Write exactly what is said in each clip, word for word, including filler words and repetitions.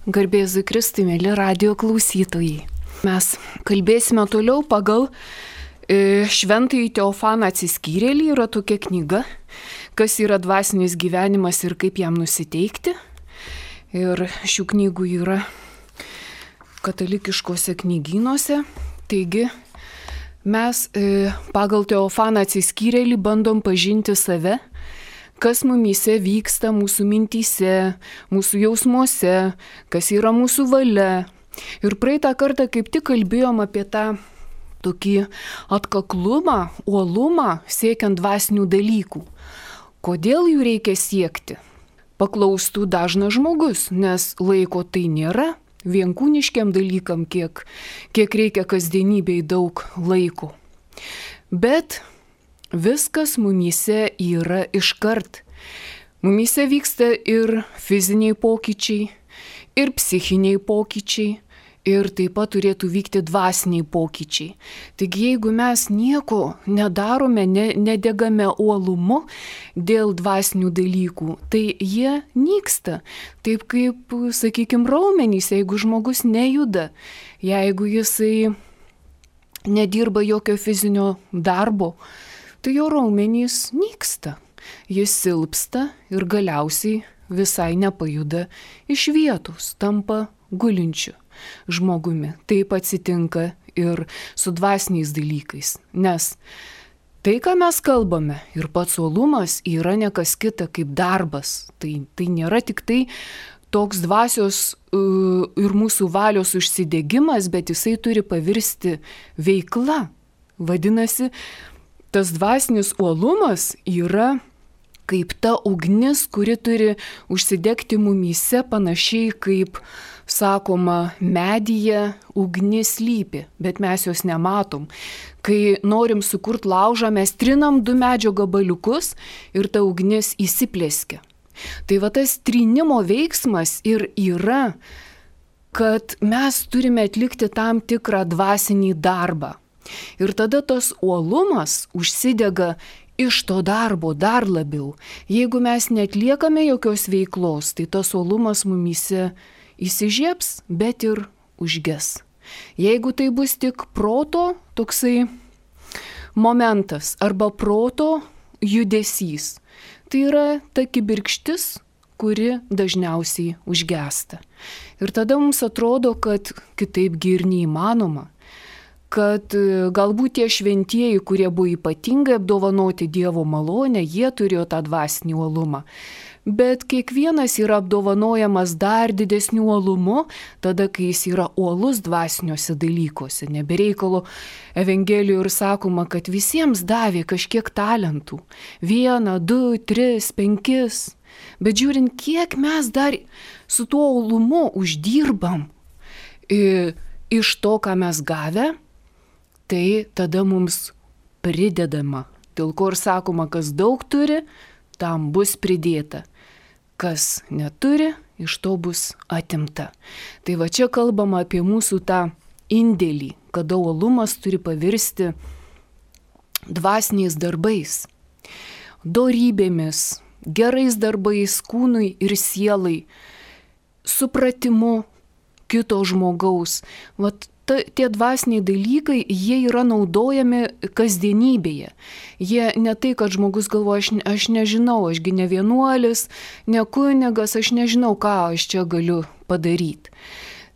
Garbėzui Kristui, mėly radijo klausytojai. Mes kalbėsime toliau pagal e, Šventąjį Teofaną Atsiskyrėlį. Yra tokia knyga, kas yra dvasinis gyvenimas ir kaip jam nusiteikti. Ir šių knygų yra katalikiškose knygynuose. Taigi mes e, pagal Teofaną Atsiskyrėlį bandom pažinti save, kas mumyse vyksta mūsų mintyse, mūsų jausmuose, kas yra mūsų valia. Ir praeitą kartą kaip tik kalbėjom apie tą tokį atkaklumą, uolumą siekiant dvasinių dalykų. Kodėl jų reikia siekti? Paklaustų dažnas žmogus, nes laiko tai nėra, vienkūniškiam dalykam, kiek, kiek reikia kasdienybei daug laiko. Bet viskas mumyse yra iškart. Mumyse vyksta ir fiziniai pokyčiai, ir psichiniai pokyčiai, ir taip pat turėtų vykti dvasiniai pokyčiai. Taigi jeigu mes nieko nedarome, ne, nedegame uolumu dėl dvasinių dalykų, tai jie nyksta. Taip kaip, sakykime, raumenys, jeigu žmogus nejuda, jeigu jisai nedirba jokio fizinio darbo, tai jo raumenys nyksta, jis silpsta ir galiausiai visai nepajuda iš vietos, tampa gulinčiu žmogumi. Taip atsitinka ir su dvasiniais dalykais, nes tai, ką mes kalbame, ir pats uolumas yra ne kas kita kaip darbas. Tai, tai nėra tik tai toks dvasios uh, ir mūsų valios užsidegimas, bet jisai turi pavirsti veikla. Vadinasi, tas dvasinis uolumas yra kaip ta ugnis, kuri turi užsidegti mumyse panašiai kaip, sakoma, medyje ugnis slypi, bet mes jos nematom. Kai norim sukurti laužą, mes trinam du medžio gabaliukus ir ta ugnis įsiplėskia. Tai va tas trinimo veiksmas ir yra, kad mes turime atlikti tam tikrą dvasinį darbą. Ir tada tas uolumas užsidega iš to darbo dar labiau. Jeigu mes netliekame jokios veiklos, tai tas uolumas mumyse įsižiebs, bet ir užges. Jeigu tai bus tik proto toksai momentas arba proto judesys, tai yra ta kibirkštis, kuri dažniausiai užgesta. Ir tada mums atrodo, kad kitaipgi ir neįmanoma. Kad galbūt tie šventieji, kurie buvo ypatingai apdovanoti Dievo malonę, jie turėjo tą dvasinį uolumą. Bet kiekvienas yra apdovanojamas dar didesniu uolumu, tada, kai jis yra uolus dvasiniuose dalykuose. Nebereikalo Evangelijoje ir sakoma, kad visiems davė kažkiek talentų. Vieną, du, tris, penkis. Bet žiūrint, kiek mes dar su tuo uolumu uždirbam iš to, ką mes gavę, tai tada mums pridedama. Dėl ko ir sakoma, kas daug turi, tam bus pridėta. Kas neturi, iš to bus atimta. Tai va čia kalbama apie mūsų tą indėlį, kada uolumas turi pavirsti dvasiniais darbais, dorybėmis, gerais darbais kūnui ir sielai, supratimu kito žmogaus. Vat Ta, tie dvasiniai dalykai, jie yra naudojami kasdienybėje. Jie ne tai, kad žmogus galvoja, aš, aš nežinau, ašgi ne vienuolis, ne kunigas, aš nežinau, ką aš čia galiu padaryti.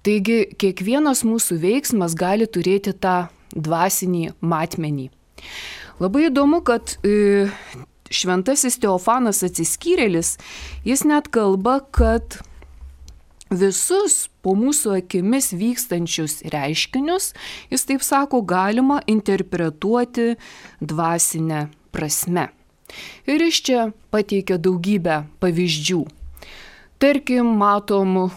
Taigi, kiekvienas mūsų veiksmas gali turėti tą dvasinį matmenį. Labai įdomu, kad e, šventasis Teofanas Atsiskyrėlis, jis net kalba, kad visus po mūsų akimis vykstančius reiškinius, jis taip sako, galima interpretuoti dvasinę prasme. Ir iš čia pateikia daugybę pavyzdžių. Tarkim, matom e,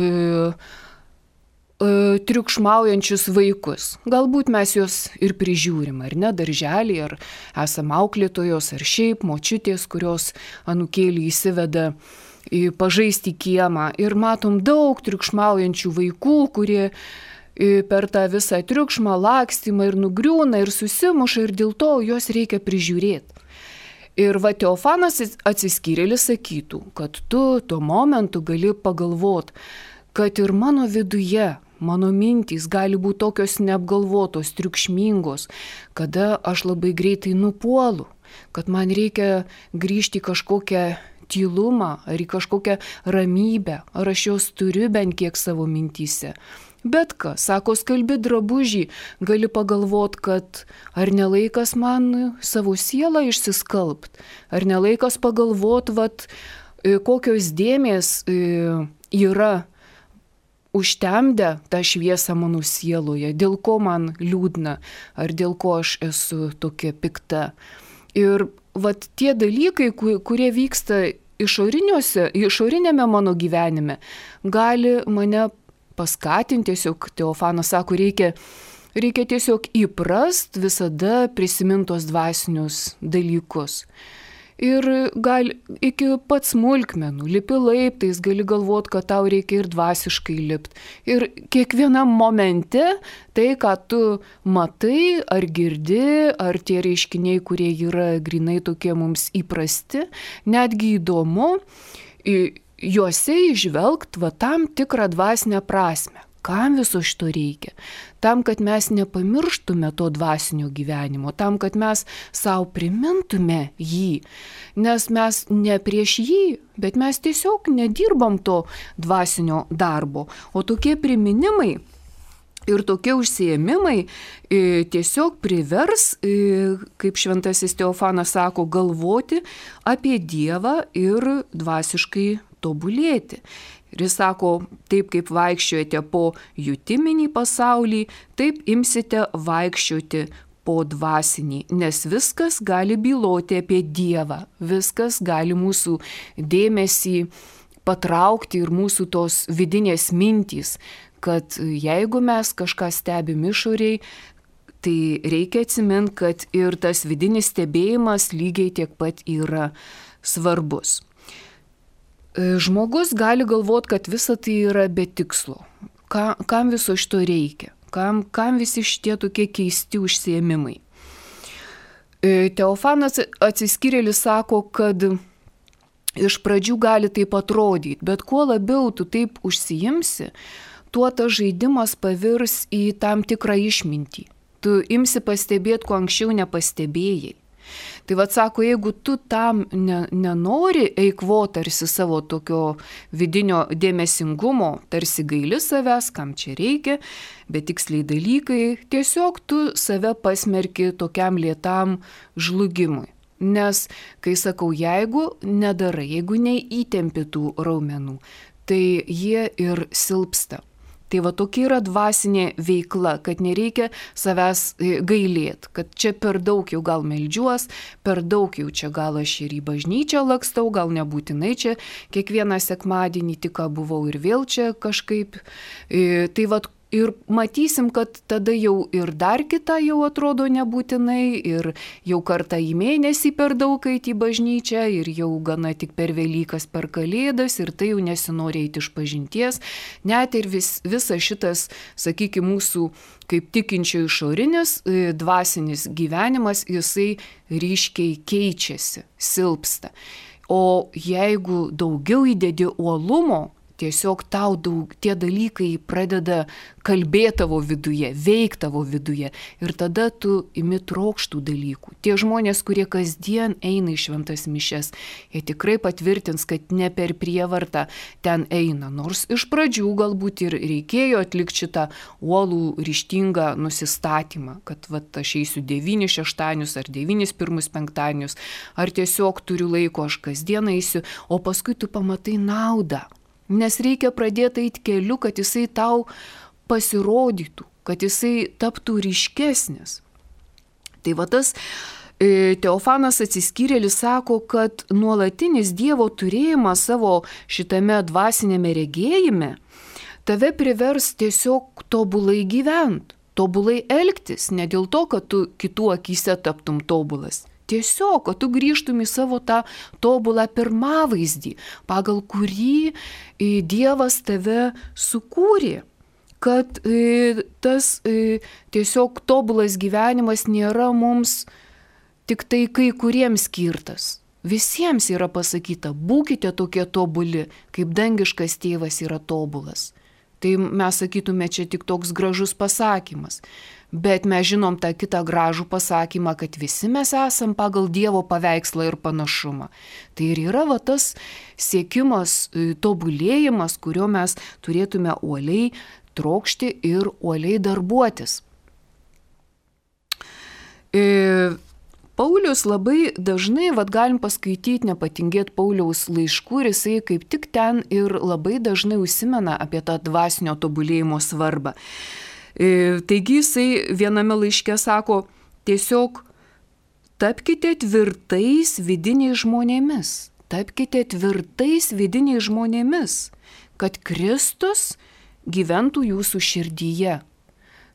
e, triukšmaujančius vaikus. Galbūt mes juos ir prižiūrim, ar ne, darželį, ar esam auklėtojos, ar šiaip močiutės, kurios anūkėlį įsiveda pažaisti kiemą ir matom daug triukšmaujančių vaikų, kurie per tą visą triukšmą, lakstymą ir nugriūna ir susimuša ir dėl to juos reikia prižiūrėti. Ir va Teofanas Atsiskyrėlis sakytų, kad tu tuo momentu gali pagalvoti, kad ir mano viduje, mano mintys gali būti tokios neapgalvotos, triukšmingos, kada aš labai greitai nupuolu, kad man reikia grįžti į kažkokią tylumą ar į kažkokią ramybę, ar aš jos turiu bent kiek savo mintyse. Bet ką, sako, skalbi drabužį, gali pagalvot, kad ar nelaikas man savo sielą išsiskalbt, ar nelaikas pagalvot, vat, kokios dėmės yra užtemdę tą šviesą mano sieloje, dėl ko man liūdna, ar dėl ko aš esu tokia pikta. Ir vat tie dalykai, kurie vyksta išorinėme mano gyvenime, gali mane paskatinti, tiesiog Teofanas sako, reikia, reikia tiesiog įprast visada prisimintos dvasinius dalykus. Ir gal iki pat smulkmenų, lipi laiptais, gali galvot, kad tau reikia ir dvasiškai lipt. Ir kiekvienam momente tai, ką tu matai, ar girdi, ar tie reiškiniai, kurie yra grinai tokie mums įprasti, netgi įdomu, juose įžvelgt va tam tikrą dvasinę prasme. Kam viso šito reikia? Tam, kad mes nepamirštume to dvasinio gyvenimo, tam, kad mes savo primintume jį, nes mes ne prieš jį, bet mes tiesiog nedirbam to dvasinio darbo. O tokie priminimai ir tokie užsiėmimai tiesiog privers, kaip šventasis Teofanas sako, galvoti apie Dievą ir dvasiškai tobulėti. Ir jis sako, taip kaip vaikščiojate po jutiminį pasaulį, taip imsite vaikščioti po dvasinį, nes viskas gali byloti apie Dievą, viskas gali mūsų dėmesį patraukti ir mūsų tos vidinės mintys, kad jeigu mes kažką stebim išoriai, tai reikia atsiminti, kad ir tas vidinis stebėjimas lygiai tiek pat yra svarbus. Žmogus gali galvoti, kad visa tai yra be tikslo. Ka, kam viso šito reikia? Kam, kam visi šitie tokie keisti užsiėmimai? Teofanas Atsiskyrėlis sako, kad iš pradžių gali taip atrodyti, bet kuo labiau tu taip užsiimsi, tuo tas žaidimas pavirs į tam tikrą išmintį. Tu imsi pastebėti, ko anksčiau nepastebėjai. Tai vad sako, jeigu tu tam ne, nenori eikvoti tarsi savo tokio vidinio dėmesingumo, tarsi gaili savęs, kam čia reikia, bet tiksliai dalykai, tiesiog tu save pasmerki tokiam lėtam žlugimui. Nes, kai sakau, jeigu nedarai, jeigu neįtempi tų raumenų, tai jie ir silpsta. Tai va tokia yra dvasinė veikla, kad nereikia savęs gailėti, kad čia per daug jau gal meldžiuos, per daug jau čia gal aš ir į bažnyčią lakstau, gal nebūtinai čia kiekvieną sekmadienį tik ką buvau ir vėl čia kažkaip. Tai va ir matysim, kad tada jau ir dar kita jau atrodo nebūtinai, ir jau kartą į mėnesį per daug eiti į bažnyčią, ir jau gana tik per Velykas, per Kalėdas, ir tai jau nesinori eiti iš pažinties. Net ir vis, visas šitas, sakykime, mūsų kaip tikinčio išorinis, dvasinis gyvenimas, jisai ryškiai keičiasi, silpsta. O jeigu daugiau įdedi uolumo, tiesiog tau daug, tie dalykai pradeda kalbėti tavo viduje, veikti tavo viduje, ir tada tu imi trokštų dalykų. Tie žmonės, kurie kasdien eina į šventas mišias, jie tikrai patvirtins, kad ne per prievartą ten eina, nors iš pradžių galbūt ir reikėjo atlikti šitą uolų ryžtingą nusistatymą, kad vat, aš eisiu devynis šeštadienius ar devynis pirmus penktadienius, ar tiesiog turiu laiko, aš kasdien eisiu, o paskui tu pamatai naudą. Nes reikia pradėti eiti keliu, kad jisai tau pasirodytų, kad jisai taptų ryškesnis. Tai va tas e, Teofanas Atsiskyrėlis sako, kad nuolatinis Dievo turėjimas savo šitame dvasinėme regėjime tave privers tiesiog tobulai gyventi, tobulai elgtis, ne dėl to, kad tu kitų akyse taptum tobulas. Tiesiog, kad tu grįžtum į savo tą tobulą pirmavaizdį, pagal kurį Dievas tave sukūrė. Kad tas tiesiog tobulas gyvenimas nėra mums tik tai kai kuriems skirtas. Visiems yra pasakyta, būkite tokie tobuli, kaip dangiškas tėvas yra tobulas. Tai mes sakytume, čia tik toks gražus pasakymas. Bet mes žinom tą kitą gražų pasakymą, kad visi mes esam pagal Dievo paveikslą ir panašumą. Tai ir yra va tas siekimas, tobulėjimas, kurio mes turėtume uoliai trokšti ir uoliai darbuotis. E, Paulius labai dažnai, vad galim paskaityti, nepatingėti Pauliaus laiškų ir jisai kaip tik ten ir labai dažnai užsimena apie tą dvasinio tobulėjimo svarbą. Taigi jisai viename laiške sako, tiesiog tapkite tvirtais vidiniais žmonėmis, tapkite tvirtais vidiniais žmonėmis, kad Kristus gyventų jūsų širdyje.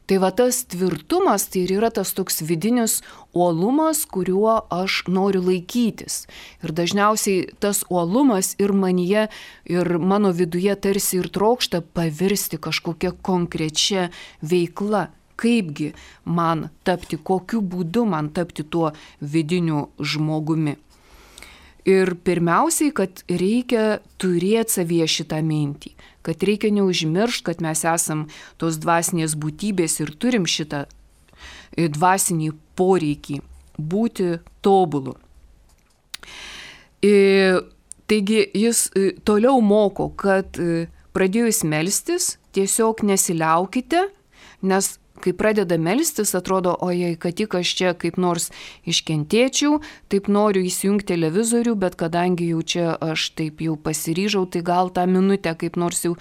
Tai va tas tvirtumas, tai ir yra tas toks vidinis uolumas, kuriuo aš noriu laikytis. Ir dažniausiai tas uolumas ir manyje, ir mano viduje tarsi ir trokšta pavirsti kažkokia konkrečia veikla. Kaipgi man tapti, kokiu būdu man tapti tuo vidiniu žmogumi. Ir pirmiausiai, kad reikia turėti savyje šitą mintį, kad reikia neužmiršti, kad mes esam tos dvasinės būtybės ir turim šitą dvasinį poreikį būti tobulu. Taigi jis toliau moko, kad pradėjus melstis, tiesiog nesiliaukite, nes kai pradeda melstis, atrodo, ojei, kad tik aš čia kaip nors iškentėčiau, taip noriu įsijungti televizorių, bet kadangi jau čia aš taip jau pasiryžau, tai gal tą minutę kaip nors jau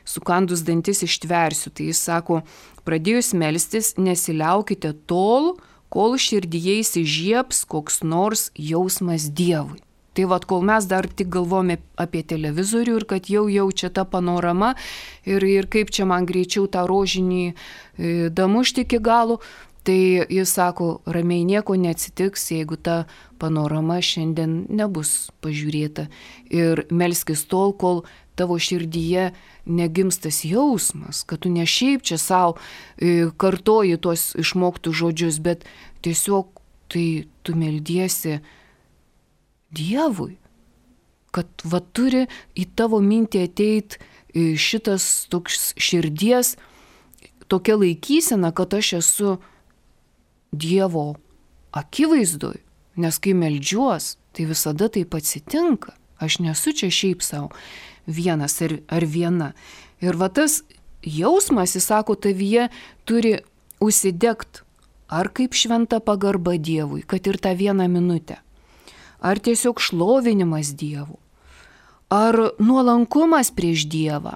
sukandus dantis ištversiu. Tai jis sako, pradėjus melstis, nesiliaukite tol, kol širdyje įsižiebs koks nors jausmas Dievui. Tai vad, kol mes dar tik galvome apie televizorių ir kad jau jaučia ta panorama ir, ir kaip čia man greičiau tą rožinį e, damušti iki galo, tai jis sako, ramiai nieko neatsitiks, jeigu ta panorama šiandien nebus pažiūrėta. Ir melskis tol, kol tavo širdyje negimstas jausmas, kad tu ne šiaip čia savo e, kartoji tuos išmoktus žodžius, bet tiesiog tai tu meldiesi Dievui, kad va turi į tavo mintį ateit šitas toks širdies, tokia laikysena, kad aš esu Dievo akivaizdoj, nes kai meldžiuos, tai visada taip atsitinka. Aš nesu čia šiaip savo vienas ar, ar viena. Ir va tas jausmas, jis sako, tavyje turi užsidegt ar kaip šventa pagarba Dievui, kad ir tą vieną minutę. Ar tiesiog šlovinimas Dievu, ar nuolankumas prieš Dievą.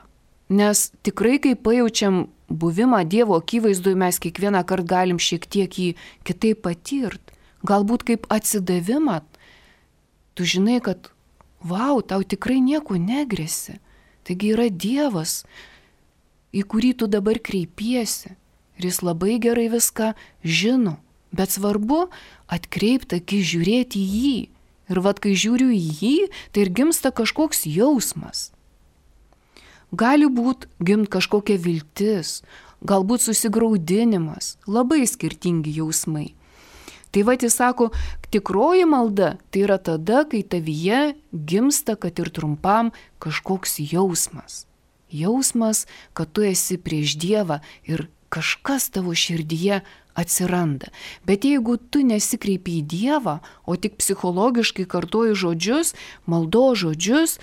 Nes tikrai, kai pajaučiam buvimą Dievo akivaizdui, mes kiekvieną kartą galim šiek tiek jį kitaip patirt. Galbūt kaip atsidavimą. Tu žinai, kad vau, tau tikrai nieko negrėsi. Taigi yra Dievas, į kurį tu dabar kreipiesi. Ir jis labai gerai viską žino. Bet svarbu atkreipti akį, žiūrėti į jį. Ir vat, kai žiūriu į jį, tai ir gimsta kažkoks jausmas. Gali būt gimt kažkokia viltis, galbūt susigraudinimas, labai skirtingi jausmai. Tai vat jis sako, tikroji malda tai yra tada, kai tavyje gimsta, kad ir trumpam kažkoks jausmas. Jausmas, kad tu esi prieš Dievą ir kažkas tavo širdyje atsiranda. Bet jeigu tu nesikreipi į Dievą, o tik psichologiškai kartoji žodžius, maldo žodžius,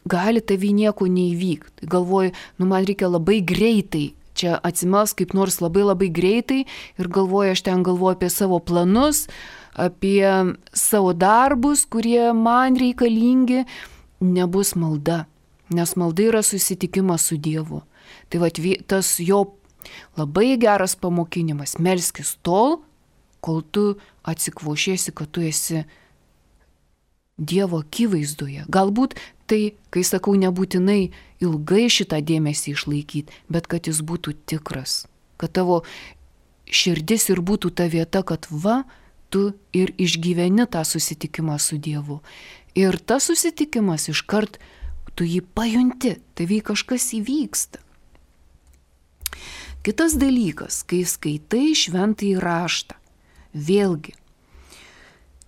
gali tavy nieko neįvykti. Galvoji, nu man reikia labai greitai, čia atsimels kaip nors labai labai greitai ir galvoju, aš ten galvoju apie savo planus, apie savo darbus, kurie man reikalingi, nebus malda, nes malda yra susitikimas su Dievu. Tai va, tas jo labai geras pamokinimas, melskis tol, kol tu atsikvošėsi, kad tu esi Dievo akivaizdoje. Galbūt tai, kai sakau, nebūtinai ilgai šitą dėmesį išlaikyti, bet kad jis būtų tikras, kad tavo širdis ir būtų ta vieta, kad va, tu ir išgyveni tą susitikimą su Dievu. Ir tas susitikimas iškart tu jį pajunti, tavy kažkas įvyksta. Kitas dalykas, kai skaitai šventąjį raštą, vėlgi,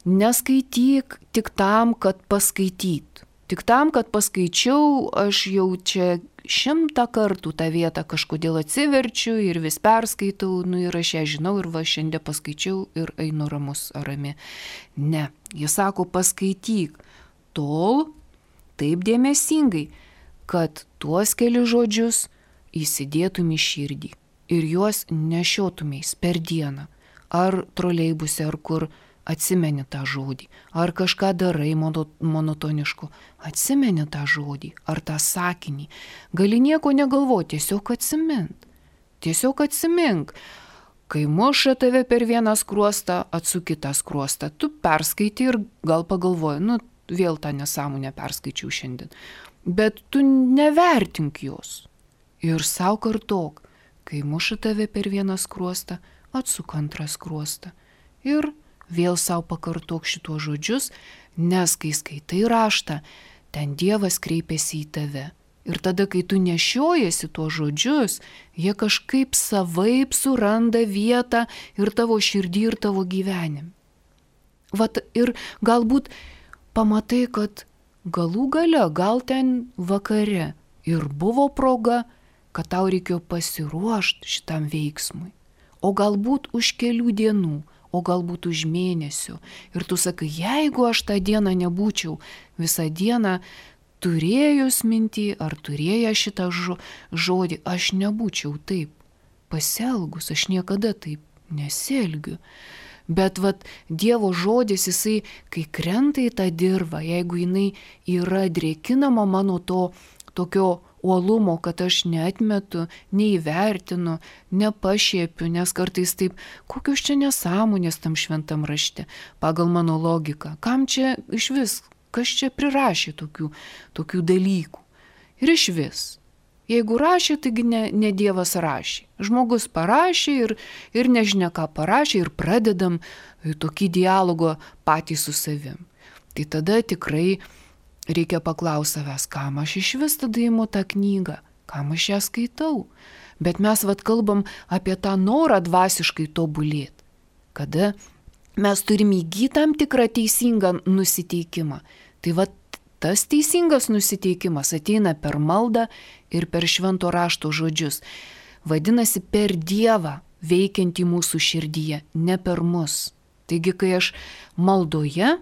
neskaityk tik tam, kad paskaityt. Tik tam, kad paskaičiau, aš jau čia šimtą kartų tą vietą kažkodėl atsiverčiu ir vis perskaitau, nu ir aš ją žinau ir va šiandien paskaičiau ir einu ramus ar rami. Ne, jis sako, paskaityk tol taip dėmesingai, kad tuos keli žodžius įsidėtum į širdį ir juos nešiotumės per dieną, ar troleibuse, ar kur atsimeni tą žodį, ar kažką darai monotonišku, atsimeni tą žodį, ar tą sakinį. Gali nieko negalvoti, tiesiog atsimint. Tiesiog atsimink. Kai muša tave per vieną skruostą, atsuk kitą skruostą. Tu perskaitai ir gal pagalvoji, nu vėl tą nesąmonę perskaičiau šiandien. Bet tu nevertink jos. Ir sau kartok, kai muša tave per vieną skruostą, atsuk antrą skruostą. Ir vėl sau pakartok šituos žodžius, nes kai skaitai raštą, ten Dievas kreipiasi į tave. Ir tada, kai tu nešiojasi tuos žodžius, jie kažkaip savaip suranda vietą ir tavo širdį, ir tavo gyvenime. Vat ir galbūt pamatai, kad galų gale, gal ten vakare ir buvo proga, kad tau reikėjo pasiruošti šitam veiksmui. O galbūt už kelių dienų, o galbūt už mėnesių. Ir tu sakai, jeigu aš tą dieną nebūčiau visą dieną turėjus mintį ar turėję šitą žodį, aš nebūčiau taip pasielgus, aš niekada taip nesielgiu. Bet vat Dievo žodis, jisai, kai krenta į tą dirvą, jeigu jinai yra drėkinama mano to tokio uolumo, kad aš neatmetu, neįvertinu, nepašiepiu, nes kartais taip, kokios čia nesąmonės tam šventam rašte, pagal mano logiką. Kam čia iš vis, kas čia prirašė tokių, tokių dalykų? Ir iš vis. Jeigu rašė, taigi ne, ne Dievas rašė. Žmogus parašė ir, ir nežinia ką parašė ir pradedam tokį dialogą patys su savim. Tai tada tikrai reikia paklausti savęs, kam aš iš vis tada imu tą knygą, kam aš ją skaitau. Bet mes vat kalbam apie tą norą dvasiškai tobulėti, kada mes turim įgyti tam tikrą teisingą nusiteikimą. Tai vat tas teisingas nusiteikimas ateina per maldą ir per švento rašto žodžius. Vadinasi, per Dievą veikiantį mūsų širdyje, ne per mus. Taigi, kai aš maldoje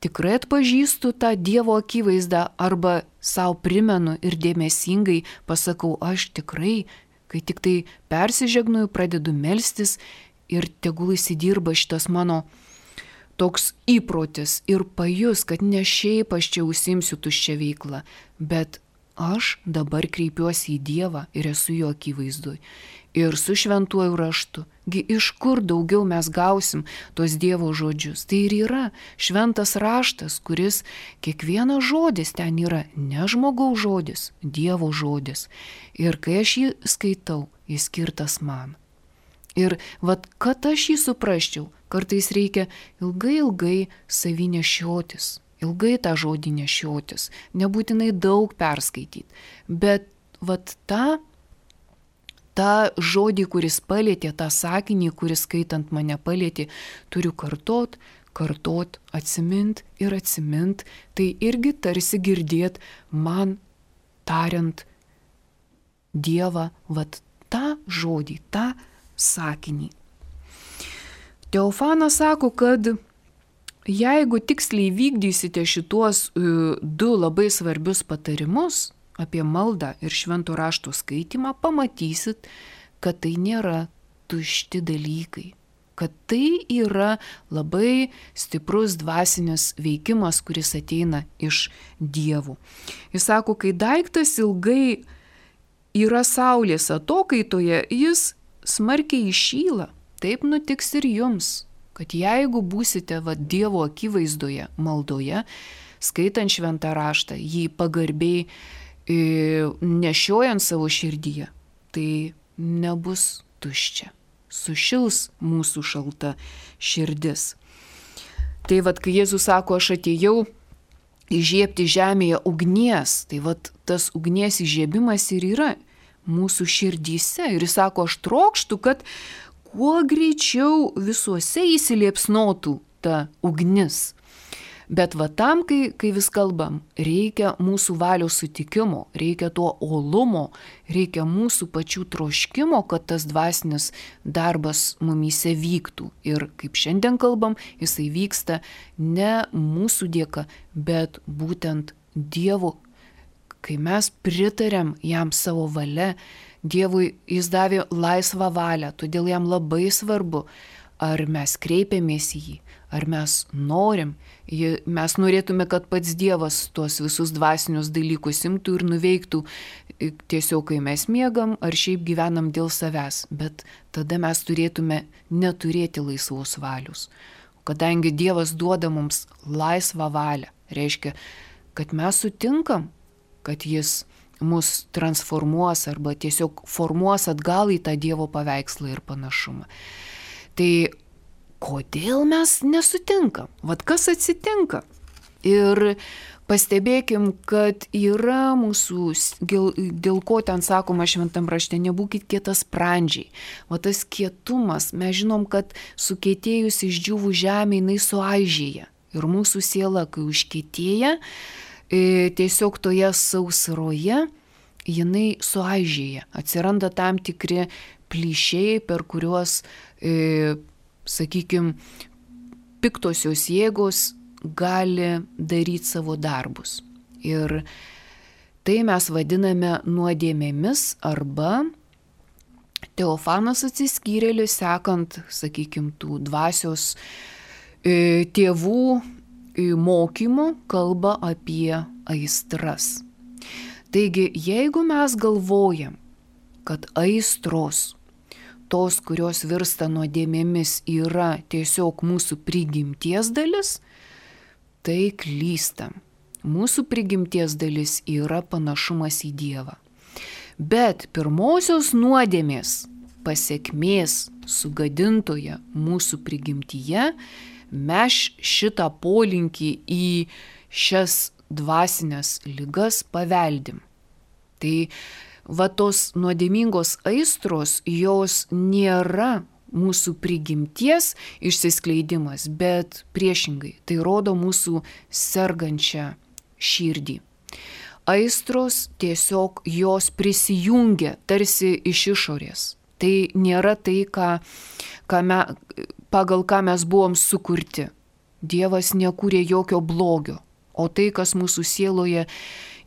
tikrai atpažįstu tą Dievo akivaizdą arba savo primenu ir dėmesingai pasakau, aš tikrai, kai tik tai persižegnuju, pradedu melstis ir tegul įsidirba šitas mano toks įprotis ir pajus, kad ne šiaip aš čia užsiimsiu tuščią veiklą, bet aš dabar kreipiuosi į Dievą ir esu jo akivaizdoj. Ir su šventuoju raštu. Gi iš kur daugiau mes gausim tos Dievo žodžius? Tai ir yra šventas raštas, kuris kiekvienas žodis ten yra ne žmogaus žodis, Dievo žodis. Ir kai aš jį skaitau, jis skirtas man. Ir vat, kad aš jį suprasčiau, kartais reikia ilgai ilgai savy nešiotis, ilgai tą žodį nešiotis, nebūtinai daug perskaityti, bet vat tą tą žodį, kuris palėtė, tą sakinį, kuris skaitant mane palėtė, turiu kartot, kartot, atsimint ir atsimint, tai irgi tarsi girdėt man tariant Dievą, vat tą žodį, tą sakinį. Teofanas sako, kad jeigu tiksliai vykdysite šituos uh, du labai svarbius patarimus, apie maldą ir švento rašto skaitimą, pamatysit, kad tai nėra tušti dalykai, kad tai yra labai stiprus dvasinis veikimas, kuris ateina iš Dievų. Jis sako, kai daiktas ilgai yra saulės atokaitoje, jis smarkiai įšyla, taip nutiks ir jums, kad jeigu būsite va, Dievo akivaizdoje, maldoje, skaitant šventą raštą, jį pagarbiai nešiojant savo širdyje, tai nebus tuščia. Sušils mūsų šalta širdis. Tai vad, kai Jėzus sako, aš atėjau įžiebti žemėje ugnies, tai vad tas ugnies įžiebimas ir yra mūsų širdyse. Ir jis sako, aš trokštu, kad kuo greičiau visuose įsiliepsnotų ta ugnis. Bet va tam, kai, kai vis kalbam, reikia mūsų valios sutikimo, reikia to olumo, reikia mūsų pačių troškimo, kad tas dvasinis darbas mumyse vyktų. Ir kaip šiandien kalbam, jisai vyksta ne mūsų dėka, bet būtent Dievo. Kai mes pritarėm jam savo valia, Dievui jis davė laisvą valią, todėl jam labai svarbu, ar mes kreipiamės į jį, ar mes norim. Mes norėtume, kad pats Dievas tuos visus dvasinius dalykus imtų ir nuveiktų tiesiog, kai mes miegam, ar šiaip gyvenam dėl savęs. Bet tada mes turėtume neturėti laisvos valios. Kadangi Dievas duoda mums laisvą valią, reiškia, kad mes sutinkam, kad jis mus transformuos arba tiesiog formuos atgal į tą Dievo paveikslą ir panašumą. Tai kodėl mes nesutinkam? Vat kas atsitinka? Ir pastebėkim, kad yra mūsų, dėl ko ten sakoma šventam rašte, nebūkit kietasprandžiai. Va tas kietumas, mes žinom, kad sukietėjus išdžiūvų žemė, jinai suaižėja. Ir mūsų siela, kai užkietėja, tiesiog toje sausroje jinai suaižėja. Atsiranda tam tikri plyšiai, per kuriuos, e, sakykime, piktosios jėgos gali daryti savo darbus. Ir tai mes vadiname nuodėmėmis arba Teofanas Atsiskyrėlis, sekant, sakykime, tų dvasios e, tėvų mokymų, kalba apie aistras. Taigi, jeigu mes galvojam, kad aistros, tos, kurios virsta nuodėmėmis, yra tiesiog mūsų prigimties dalis, tai klystam. Mūsų prigimties dalis yra panašumas į Dievą. Bet pirmosios nuodėmės pasekmės sugadintoje mūsų prigimtyje mes šitą polinkį į šias dvasinės ligas paveldim. Tai va tos nuodėmingos aistros, jos nėra mūsų prigimties išsiskleidimas, bet priešingai, tai rodo mūsų sergančią širdį. Aistros tiesiog jos prisijungia tarsi iš išorės. Tai nėra tai, ką, ką me, pagal ką mes buvom sukurti. Dievas nekūrė jokio blogio, o tai, kas mūsų sieloje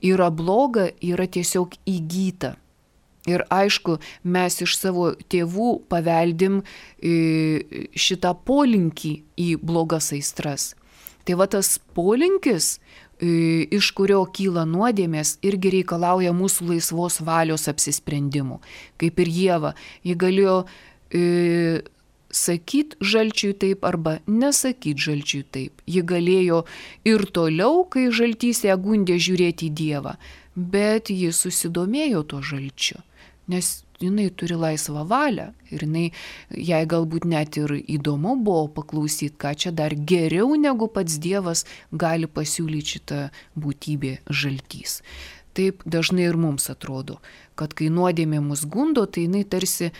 yra bloga, yra tiesiog įgyta. Ir aišku, mes iš savo tėvų paveldim šitą polinkį į blogas aistras. Tai va tas polinkis, iš kurio kyla nuodėmės, irgi reikalauja mūsų laisvos valios apsisprendimų. Kaip ir Ieva, ji galėjo e, sakyti žalčiui taip arba nesakyti žalčiui taip. Ji galėjo ir toliau, kai žaltys ją gundė, žiūrėti į Dievą, bet ji susidomėjo to žalčiu, nes jinai turi laisvą valią ir jinai, jai galbūt net ir įdomu buvo paklausyti, ką čia dar geriau negu pats Dievas gali pasiūlyti šitą būtybę žaltys. Taip dažnai ir mums atrodo, kad kai nuodėmė mus gundo, tai jinai tarsi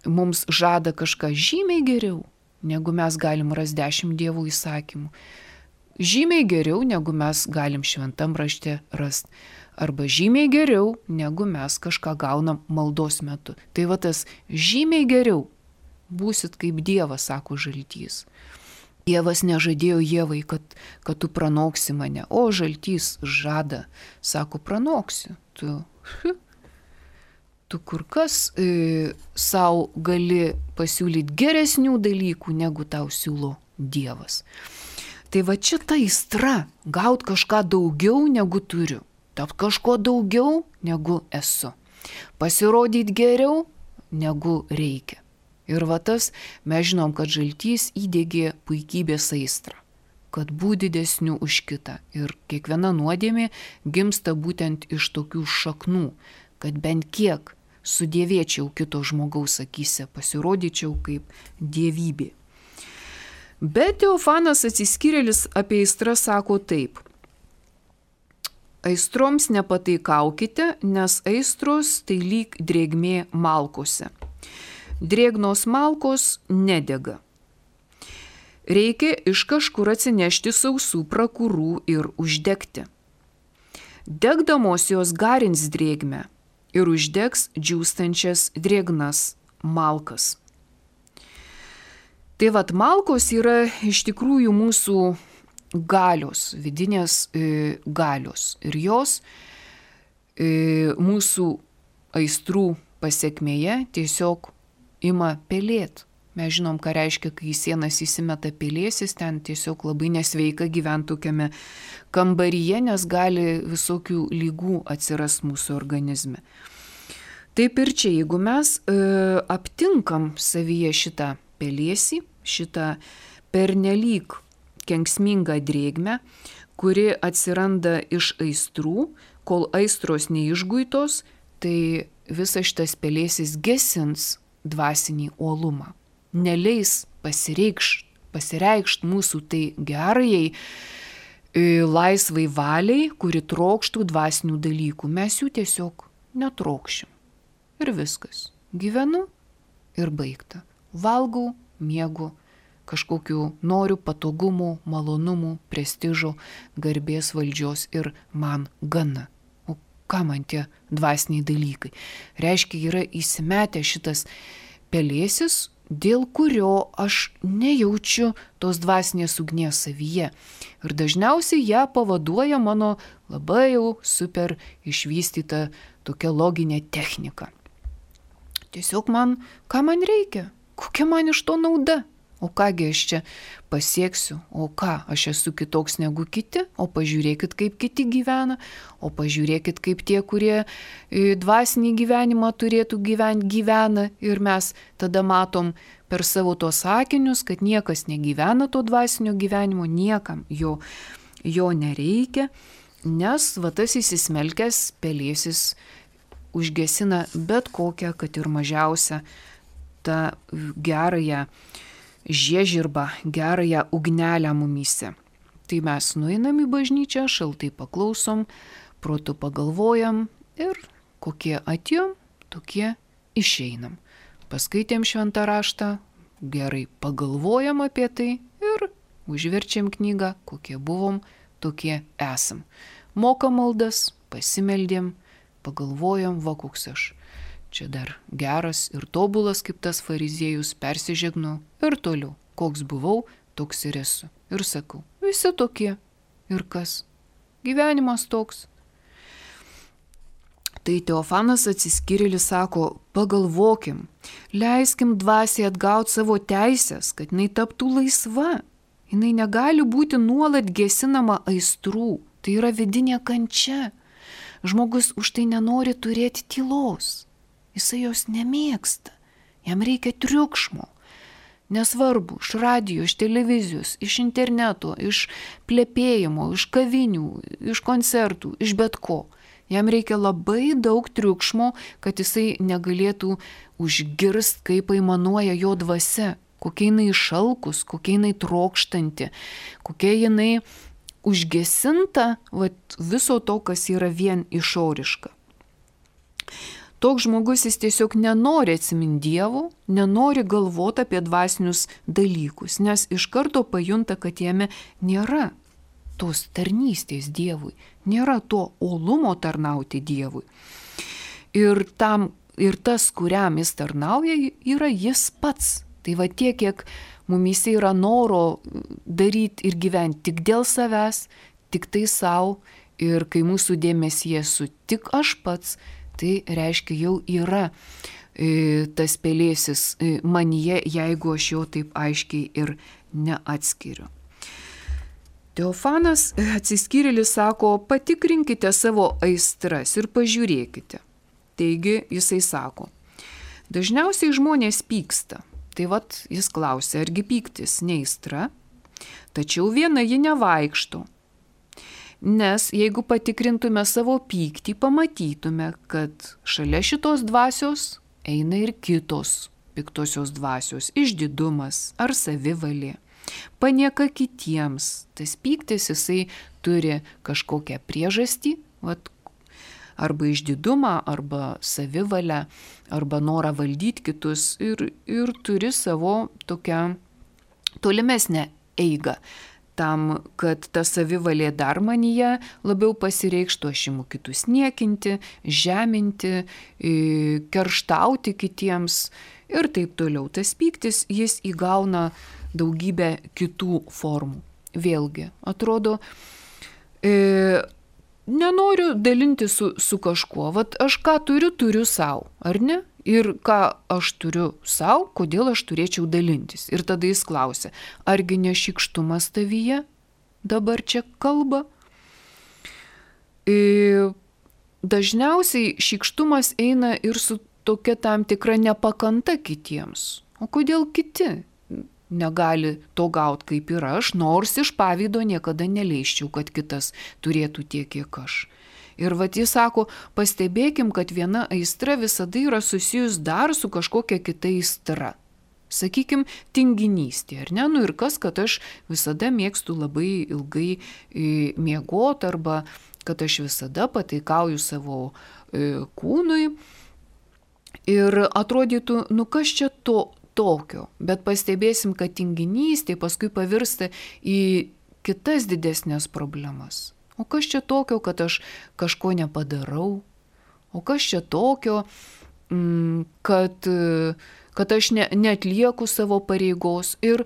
mums žada kažką žymiai geriau, negu mes galim rasti dešimt Dievo įsakymų. Žymiai geriau, negu mes galim šventam rašte rasti. Arba žymiai geriau, negu mes kažką gaunam maldos metu. Tai va tas žymiai geriau, būsit kaip Dievas, sako žaltys. Dievas nežadėjo Ievai, kad, kad tu pranoksi mane, o žaltys žada, sako, pranoksiu. Tu, tu kur kas e, savo gali pasiūlyti geresnių dalykų, negu tau siūlo Dievas. Tai va čia ta aistra, gaut kažką daugiau, negu turiu. Tapt kažko daugiau, negu esu. Pasirodyti geriau, negu reikia. Ir va tas, mes žinom, kad žaltys įdegė puikybės aistrą, kad būti didesniu už kitą. Ir kiekviena nuodėmė gimsta būtent iš tokių šaknų, kad bent kiek sudėvėčiau kito žmogaus akyse, pasirodyčiau kaip dievybė. Bet Teofanas Atsiskyrėlis apie aistrą sako taip. Aistroms nepataikaukite, nes aistros tai lyg drėgmė malkose. Drėgnos malkos nedega. reikia iš kažkur atsinešti sausų prakurų ir uždegti. Degdamos jos garins drėgmę ir uždegs džiūstančias drėgnas malkas. Tai vat malkos yra iš tikrųjų mūsų galios, vidinės e, galios. Ir jos e, mūsų aistrų pasiekmėje tiesiog ima pelėt. Mes žinom, ką reiškia, kai į sienas įsimeta pelėsis, ten tiesiog labai nesveika gyventi tokiame kambaryje, nes gali visokių lygų atsiras mūsų organizme. Taip ir čia, jeigu mes e, aptinkam savyje šitą pelėsį, šitą pernelyg kenksmingą drėgmę, kuri atsiranda iš aistrų, kol aistros neišguitos, tai visas šitas pelėsis gesins dvasinį uolumą. Neleis pasireikšt, pasireikšt mūsų tai gerajai, laisvai valiai, kuri trokštų dvasinių dalykų. Mes jų tiesiog netrokšim. Ir viskas. Gyvenu ir baigta. Valgau, miegu, kažkokiu noriu patogumų, malonumų, prestižo, garbės, valdžios ir man gana. O ką man tie dvasiniai dalykai? Reiškia, yra įsimetę šitas pelėsis, dėl kurio aš nejaučiu tos dvasinės ugnies savyje. Ir dažniausiai ją pavaduoja mano labai jau super išvystyta tokia loginė technika. Tiesiog man, ką man reikia? Kokia man iš to nauda? O kągi aš čia pasieksiu? O ką, aš esu kitoks negu kiti? O pažiūrėkit, kaip kiti gyvena. O pažiūrėkit, kaip tie, kurie dvasinį gyvenimą turėtų gyventi, gyvena. Ir mes tada matom per savo tos sakinius, kad niekas negyvena to dvasinio gyvenimo, niekam jo, jo nereikia, nes va tas įsismelkęs pelėsis užgesina bet kokią, kad ir mažiausią tą gerąją žiežirbą, gerąją ugnelę mumyse. Tai mes nueinam į bažnyčią, šaltai paklausom, protu pagalvojam ir kokie atėjom, tokie išeinam. Paskaitėm šventą raštą, gerai pagalvojam apie tai ir užverčiam knygą, kokie buvom, tokie esam. Mokam maldas, pasimeldėm, pagalvojam, va koks aš. Čia dar geras ir tobulas kaip tas fariziejus, persižegnu ir toliau. Koks buvau, toks ir esu. Ir sakau, visi tokie. Ir kas? Gyvenimas toks. Tai Teofanas Atsiskyrėlis sako, pagalvokim, leiskim dvasiai atgauti savo teisės, kad jinai taptų laisva. Jinai negali būti nuolat gesinama aistrų. Tai yra vidinė kančia. Žmogus už tai nenori turėti tylos. Jisai jos nemėgsta, jam reikia triukšmo. Nesvarbu, iš radijo, iš televizijos, iš interneto, iš plepėjimo, iš kavinių, iš koncertų, iš bet ko. Jam reikia labai daug triukšmo, kad jisai negalėtų užgirst, kaip aimanuoja jo dvasia, kokia jinai išalkus, kokia jinai trokštanti, kokia jinai užgesinta vat, viso to, kas yra vien išoriška. Toks žmogus jis tiesiog nenori atsiminti Dievo, nenori galvoti apie dvasinius dalykus, nes iš karto pajunta, kad jame nėra tos tarnystės Dievui, nėra to uolumo tarnauti Dievui. Ir, tam, ir tas, kuriam jis tarnauja, yra jis pats. Tai va tiek, kiek mumyse yra noro daryti ir gyventi tik dėl savęs, tik tai savo, ir kai mūsų dėmesyje esu tik aš pats, tai reiškia jau yra e, tas pelėsis e, manyje, jeigu aš jo taip aiškiai ir neatskiriu. Teofanas Atsiskyrėlis sako, patikrinkite savo aistras ir pažiūrėkite. Taigi jisai sako, dažniausiai žmonės pyksta. Tai vat jis klausia, argi pyktis ne aistra, tačiau viena ji nevaikšto. Nes jeigu patikrintume savo pyktį, pamatytume, kad šalia šitos dvasios eina ir kitos piktosios dvasios, išdidumas ar savivalė, panieka kitiems. Tas pyktis jisai turi kažkokią priežastį, vat, arba išdidumą, arba savivalę, arba norą valdyti kitus ir, ir turi savo tokią tolimesnę eigą. Tam, kad ta savivalė dar manyje labiau pasireikštų, aš imu kitus niekinti, žeminti, kerštauti kitiems ir taip toliau. Tas pyktis, jis įgauna daugybę kitų formų. Vėlgi, atrodo, e, nenoriu dalinti su, su kažkuo. Vat aš ką turiu, turiu savo, ar ne? Ir ką aš turiu savo, kodėl aš turėčiau dalintis. Ir tada jis klausia, argi ne šykštumas tavyje dabar čia kalba? Ir dažniausiai šykštumas eina ir su tokia tam tikra nepakanta kitiems. O kodėl kiti negali to gauti kaip ir aš, nors iš pavydo niekada neleisčiau, kad kitas turėtų tiek, kiek aš. Ir vat jis sako, pastebėkim, kad viena aistra visada yra susijus dar su kažkokia kita aistra. Sakykim, tinginystė, ar ne? Nu ir kas, kad aš visada mėgstu labai ilgai e, miegoti, arba kad aš visada pataikauju savo e, kūnui. Ir atrodytų, nu kas čia to tokio? Bet pastebėsim, kad tinginystė paskui pavirsta į kitas didesnės problemas. O kas čia tokio, kad aš kažko nepadarau? O kas čia tokio, kad, kad aš ne, neatlieku savo pareigos? Ir,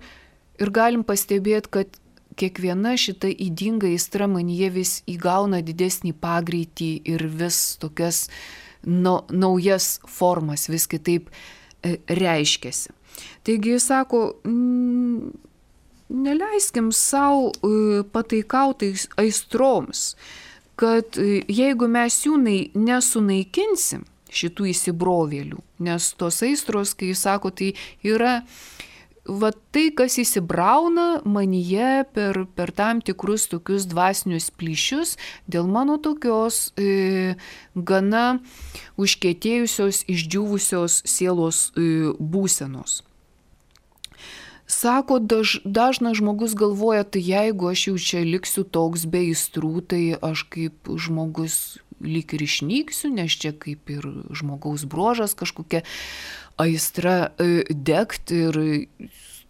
ir galim pastebėti, kad kiekviena šita ydinga aistra manyje vis įgauna didesnį pagreitį ir vis tokias no, naujas formas, vis kitaip reiškiasi. Taigi jis sako, mm, neleiskim savo pataikautais aistroms, kad jeigu mes jų nesunaikinsim, šitų įsibrovėlių, nes tos aistros, kai jis sako, tai yra va tai, kas įsibrauna manyje per, per tam tikrus tokius dvasinius plyšius dėl mano tokios e, gana užkietėjusios, išdžiūvusios sielos e, būsenos. Sako, daž, dažnas žmogus galvoja, tai jeigu aš jau čia liksiu toks be aistrų, tai aš kaip žmogus lyg ir išnyksiu, nes čia kaip ir žmogaus bruožas kažkokia aistra e, degt ir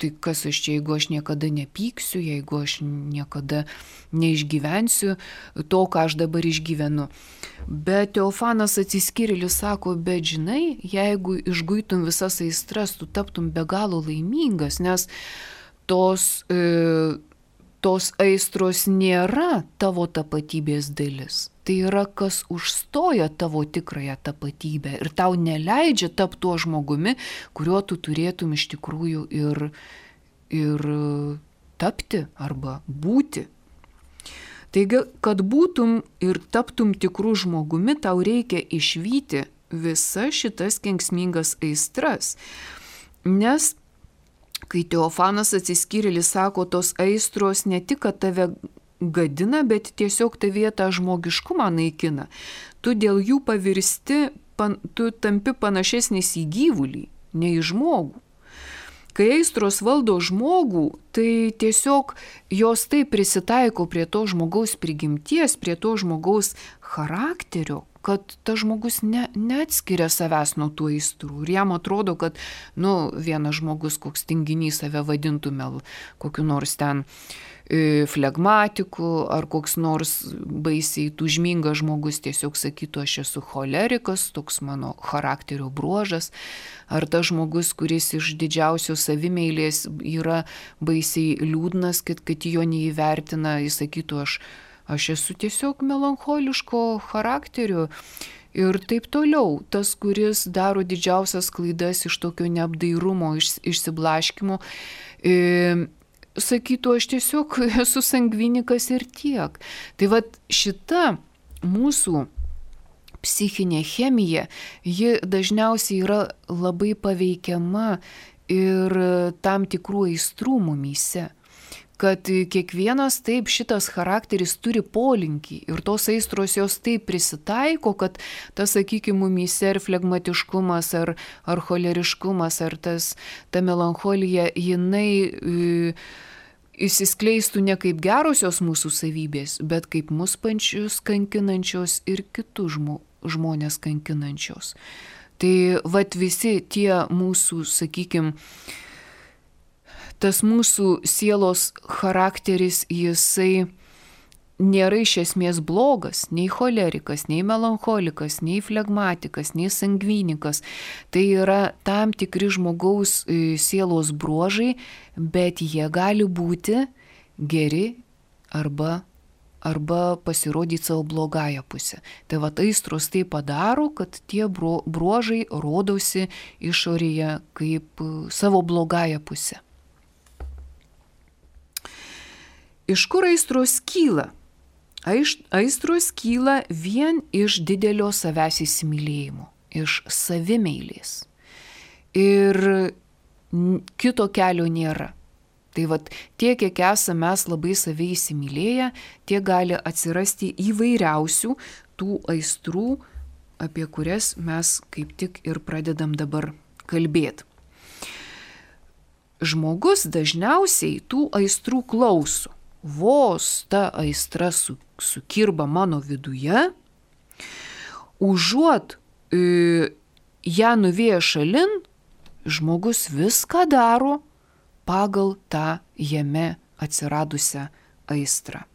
tai kas aš čia, jeigu aš niekada nepyksiu, jeigu aš niekada neišgyvensiu to, ką aš dabar išgyvenu. Bet Teofanas Atsiskyrėlis sako, bet žinai, jeigu išguitum visas aistras, tu taptum be galo laimingas, nes tos, e, tos aistros nėra tavo tapatybės dalis. Tai yra, kas užstoja tavo tikrąją tapatybę ir tau neleidžia tapti tuo žmogumi, kuriuo tu turėtum iš tikrųjų ir, ir tapti arba būti. Taigi, kad būtum ir taptum tikrų žmogumi, tau reikia išvyti visas šitas kenksmingas aistras. Nes, kai Teofanas Atsiskyrėlis sako, tos aistros ne tik, kad tave gadina, bet tiesiog tavyje tą žmogiškumą naikina. Tu dėl jų pavirsti, pan, tu tampi panašesnis į gyvulį, ne į žmogų. Kai aistros valdo žmogų, tai tiesiog jos taip prisitaiko prie to žmogaus prigimties, prie to žmogaus charakterio, kad tas žmogus ne, neatskiria savęs nuo tų aistrų. Ir jam atrodo, kad nu, vienas žmogus, koks tinginys save vadintų mel, kokiu nors ten flegmatiku, ar koks nors baisiai tūžmingas žmogus tiesiog sakytų, aš esu cholerikas, toks mano charakterio bruožas, ar tas žmogus, kuris iš didžiausios savimeilės yra baisiai liūdnas, kad, kad jo neįvertina, jis sakytų, aš, aš esu tiesiog melancholiško charakterio. Ir taip toliau, tas, kuris daro didžiausias klaidas iš tokio neapdairumo, iš, išsiblaškimo, e, sakytų, aš tiesiog esu sangvinikas ir tiek. Tai vat šita mūsų psichinė chemija, ji dažniausiai yra labai paveikiama ir tam tikrų aistrų mumyse. Kad kiekvienas taip šitas charakteris turi polinkį ir tos aistros jos taip prisitaiko, kad tas, sakykime, mumyse ar flegmatiškumas, ar, ar choleriškumas, ar tas, ta melancholija, jinai e, įsiskleistų ne kaip gerosios mūsų savybės, bet kaip mus pačius kankinančios ir kitus žmo, žmonės kankinančios. Tai vat visi tie mūsų, sakykime, tas mūsų sielos charakteris, jisai nėra iš esmės blogas, nei cholerikas, nei melancholikas, nei flegmatikas, nei sangvinikas. Tai yra tam tikri žmogaus sielos bruožai, bet jie gali būti geri arba, arba pasirodyti savo blogąją pusę. Tai va aistros tai padaro, kad tie bruožai rodosi išorėje kaip savo blogąją pusę. Iš kur aistros kyla? Aistros kyla vien iš didelio savęs įsimylėjimo, iš savimeilės. Ir kito kelio nėra. Tai vat tiek, kiek esame mes labai save įsimylėję, tiek gali atsirasti įvairiausių tų aistrų, apie kurias mes kaip tik ir pradedam dabar kalbėti. Žmogus dažniausiai tų aistrų klauso. Vos ta aistra su, sukirba mano viduje, užuot e, ją nuvėję šalin, žmogus viską daro pagal tą jame atsiradusią aistrą.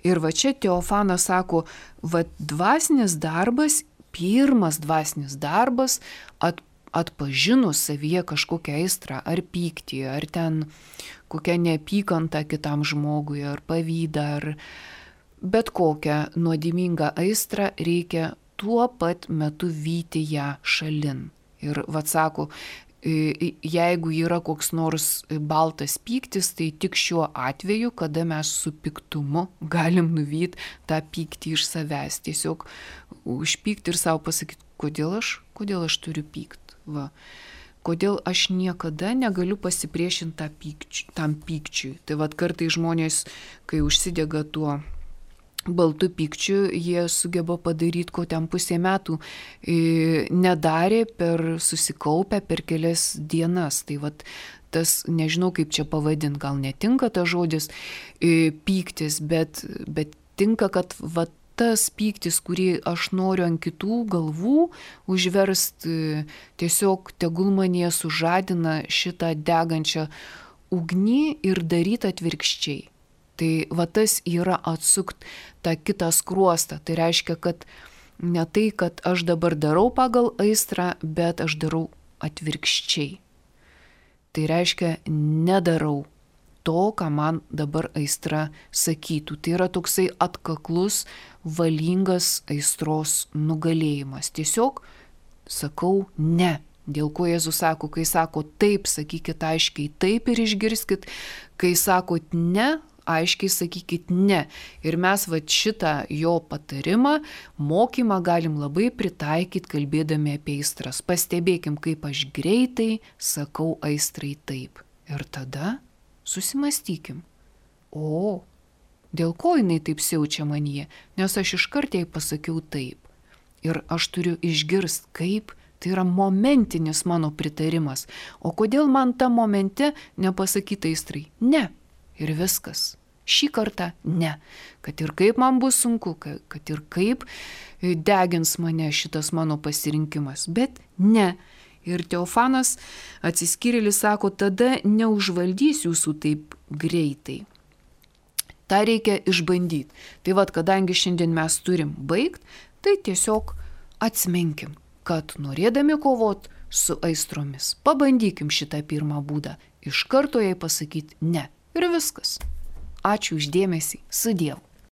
Ir va čia Teofanas sako, va dvasinis darbas, pirmas dvasinis darbas, at, atpažinus savyje kažkokią aistrą, ar pyktį, ar ten kokią neapykantą kitam žmogui, ar pavydą, ar bet kokią nuodėmingą aistrą, reikia tuo pat metu vyti ją šalin. Ir vat sako, jeigu yra koks nors baltas pyktis, tai tik šiuo atveju, kada mes su piktumu galim nuvyti tą pyktį iš savęs. Tiesiog užpykti ir savo pasakyti, kodėl aš, kodėl aš turiu pykti. Va. Kodėl aš niekada negaliu pasipriešinti pykč, tam pykčiui. Tai vad kartai žmonės, kai užsidega tuo baltu pykčiu, jie sugeba padaryti, ko ten pusė metų e, nedarė per susikaupę per kelias dienas. Tai vad tas, nežinau kaip čia pavadinti, gal netinka tas žodis e, pyktis, bet, bet tinka, kad vad tas pyktis, kurį aš noriu ant kitų galvų užverst, tiesiog tegul manyje sužadina šitą degančią ugnį ir daryti atvirkščiai. Tai va tas yra atsukt tą kitą skruostą. Tai reiškia, kad ne tai, kad aš dabar darau pagal aistrą, bet aš darau atvirkščiai. Tai reiškia, nedarau to, ką man dabar aistra sakytų. Tai yra toksai atkaklus, valingas aistros nugalėjimas. Tiesiog sakau ne. Dėl ko Jėzus sako, kai sako taip, sakykit aiškiai taip ir išgirskit, kai sakot ne, aiškiai sakykit ne. Ir mes va šitą jo patarimą, mokymą galim labai pritaikyti, kalbėdami apie aistras. Pastebėkim, kaip aš greitai sakau aistrai taip. Ir tada susimastykim. O, dėl ko jinai taip siaučia manyje? Nes aš iškart jai pasakiau taip. Ir aš turiu išgirsti, kaip tai yra momentinis mano pritarimas. O kodėl man tą momente nepasakyti aistrai? Ne. Ir viskas. Šį kartą ne. Kad ir kaip man bus sunku, kad ir kaip degins mane šitas mano pasirinkimas. Bet ne. Ir Teofanas atsiskyrėlis sako, tada neužvaldys jūsų taip greitai. Ta reikia išbandyti. Tai vad, kadangi šiandien mes turim baigt, tai tiesiog atsiminkim, kad norėdami kovot su aistromis, pabandykim šitą pirmą būdą. Iš karto jai pasakyti ne. Ir viskas. Ačiū už dėmesį. Su Dievu.